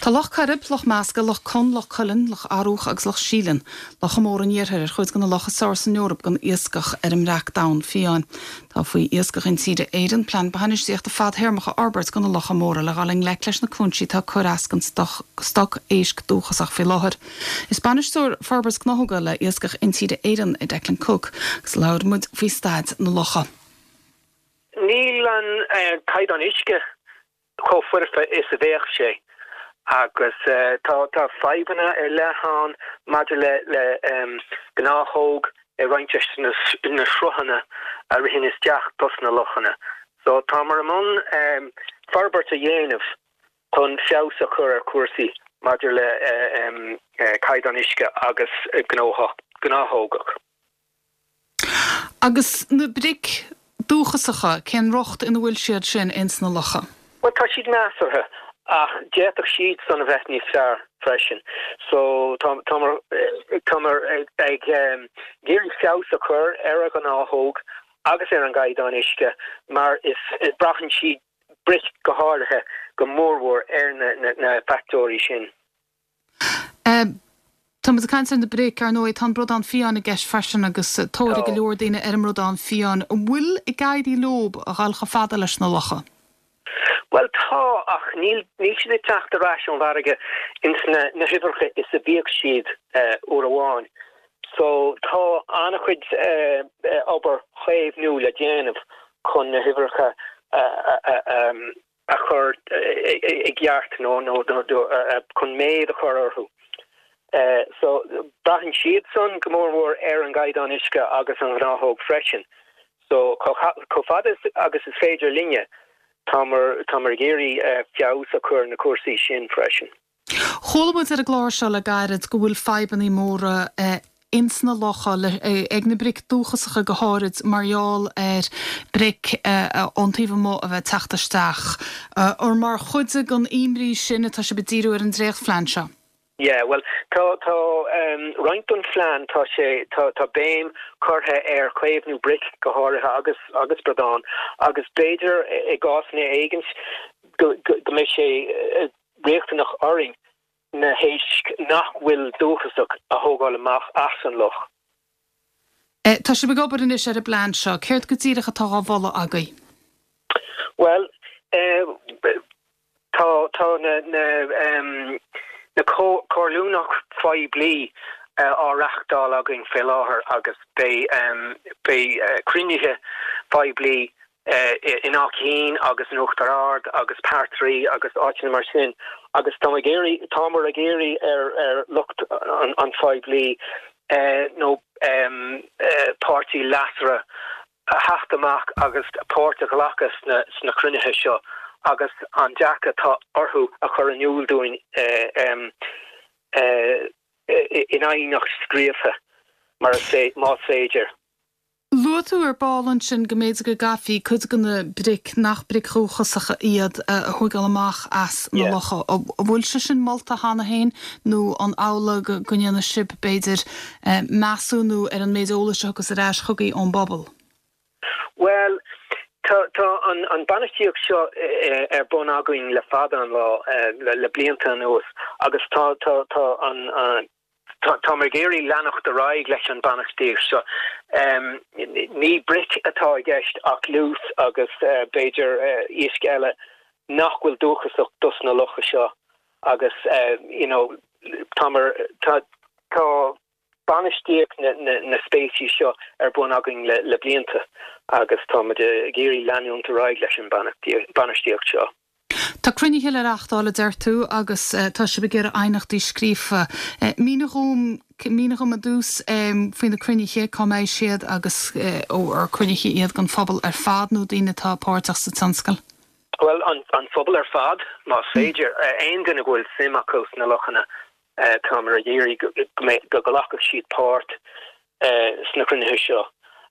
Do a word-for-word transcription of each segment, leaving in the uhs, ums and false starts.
Tá Loch Coirib, Loch Measca, Loch Con, Loch Cuilinn, Loch Arúch agus Loch Síleann, Locha Móra an Iarthair ar chuid de na locha is fearr san Eoraip don iascach ar an mbreac donn fiáin. Tá faoi Iascach Intíre Éireann plean bainistíochta fadtéarmach a fhorbairt do na locha móra le dhul i ngleic leis na cúinsí atá ag cur as don stoc éisc dúchasach faoi láthair. Is bainisteoir forbairt gnáthóga le Iascach Intíre Éireann é Declan Cooke agus labhair muid faoi staid na locha. Níl an uh, caighdeán uisce chomh foirfe is a bheadh sé. agus uh, tá tá fadhbanna ar leith ann maidir le le um, gnáthóg i roinnt na, na sruthanna a ritheann isteach dos na lochanna. So táimid i mbun um, forbairt a dhéanamh chun feabhas a chur ar cúrsaí maidir le uh, um, uh, caighdeán uisce agus gnáthógach. Agus na bric dúchasacha cén riocht ina bhfuil siad sin ins na locha. Well tá siad measartha ach d'fhéadfadh siad san a bheith níos fearr freisin. So táimid ag iarraidh feabhas a chur ar an ngnáthóg agus ar an gcaighdeán uisce mar is braitheann siad bric go háirithe go mórmhór ar na, na, na factóirí sin. Uh, Tá ag caint ar na bric ar ndóigh tá bradán fiáin i gceist freisin agus tóir go leor daoine ar an mbradán fiáin. An bhfuil ag éirí leo a ghabháil chomh fada leis na locha. Well tá ach níl níl siad ag teacht ar ais ón bhfarraige ins na na huimhreacha is a bhíodh siad uh, uair amháin. So tá an-chuid uh, uh, obair chaomhnú le déanamh chun na huimhreacha uh, uh, um, a chur i gceart nó nó chun méid a chur orthu. Uh, so braitheann siad san go mórmhór ar an gcaighdeán uisce agus an ghnáthóg freisin. So chomh fada agus is féidir linne táimid táimid ag iarraidh uh, feabhas a chur na cúrsaí sin freisin. Chuala muid ar an gclár seo le gairid go bhfuil fadhbanna móra uh, ins na locha le, ag na bric dúchasacha go háirid mar gheall ar bric ón taobh amuigh a bheith teacht isteach. Uh, Ar mar chuid den imní sin atá sibh ag díriú ar an dréachtphlean seo. Yeah, well tá tá um, roinnt den phlean tá sé tá tá béim curtha ar chaomhnú bric go háirithe agus agus bradán agus b'fhéidir i gcásanna éigin go go mbeidh sé uh, riachtanach orainn na héisc nach bhfuil dúchasach a thógáil amach as an loch. E, tá sibh ag obair anois ar an bplean seo, céard go díreach atá á mholadh agaibh? Well uh, tá tá na na um, na comhairliúchán poiblí uh, á reáchtáil againn fé láthair agus beidh um, beidh uh, cruinnithe poiblí uh, in Áth Cinn agus in Uachtar Ard agus Patraí agus áiteanna mar sin agus tá ag iarraidh táimid ag iarraidh ar ar lucht an, an phoiblí uh, nó um, uh, páirtithe leasmhara a theacht amach agus páirt a ghlacadh sna, sna cruinnithe seo agus an dearcadh atá orthu a chur in iúl dúinn uh, um, uh, in aighneacht scríofa mar más féidir. Luaigh tú ar ball ansin go mb'fhéidir go gcaithfí cuid de na bric nach bric dhúchasacha iad a thógáil amach as na locha. Bhfuil sé sin molta cheana féin nó an amhlaidh go ndéanfaidh sibh b'fhéidir measúnú ar an méid eolais agus ar ais chugaibh ón bpobal. Well, tá tá an an bainistíocht seo ar bun againn le fada an lá le, le blianta anuas agus tá tá tá an an tá ag iarraidh leanacht ar aghaidh leis an bainistíocht seo. Um, ní bric atá i gceist ach liús agus uh, b'fhéidir uh, iasc eile nach bhfuil dúchasach dos na locha seo agus uh, you know, tá tá tá bainistíocht na, na, na speicis seo ar bun againn le, le blianta agus tá ag iarraidh leanúint ar aghaidh leis an bainistíocht seo. Tá cruinnithe le reáchtáil a deir tú agus uh, tá sibh ag iarraidh aighneachtaí scríofa. Uh, Mínigh dom mínigh dom ar dtús um, faoi na cruinnithe cá mbeidh siad agus uh, ó ar cruinnithe iad don phobal ar fad nó daoine atá páirteach sa tionscal. Well an, an phobal ar fad más féidir uh, aon duine bhfuil suim acu sna lochanna uh, táimid ag iarraidh go nglacfadh siad páirt uh, sna cruinnithe seo.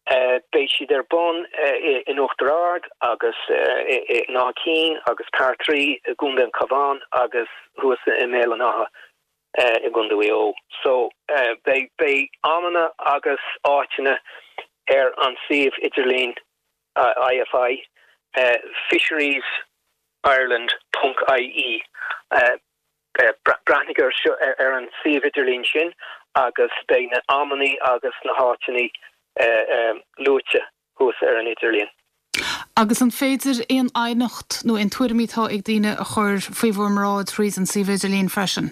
Uh, beidh siad ar bun uh, in Uachtar Ard agus uh, in Áth Cinn agus Patraí i gContae an Chabháin agus thuas i mBéal an Átha uh, i gContae Mhaigh Eo. So uh, beidh beidh amanna agus áiteanna ar an suíomh idirlín uh, IFI uh, fisheries Ireland.ie uh, uh, breathnaigh ar seo ar an suíomh idirlín sin agus beidh na amannaí agus na háiteanna luaite thuas ar an idirlíon. Agus an féidir aon aighneacht nó aon tuairimí atá ag daoine a chur faoi bhur mbráid thríd an suíomh idirlín freisin?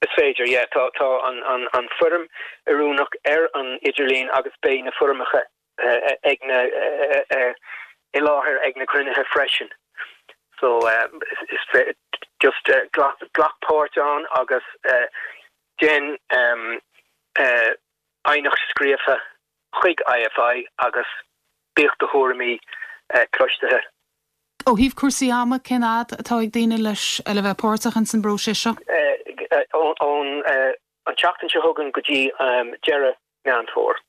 Is féidir, yeah. Tá tá an an an foirm oiriúnach ar an idirlíon agus beidh na foirmeacha ag na i láthair ag na cruinnithe freisin. So is just glac glac páirt ann agus déan aighneacht scríofa chuig I F I agus bíodh do thuairimí cloiste. Ó thaobh cúrsaí ama, cén fhad atá ag daoine leis le bheith páirteach in san bpróiseas seo? Ón an tseachtain seo chugainn go dtí deireadh Meán Fómhair.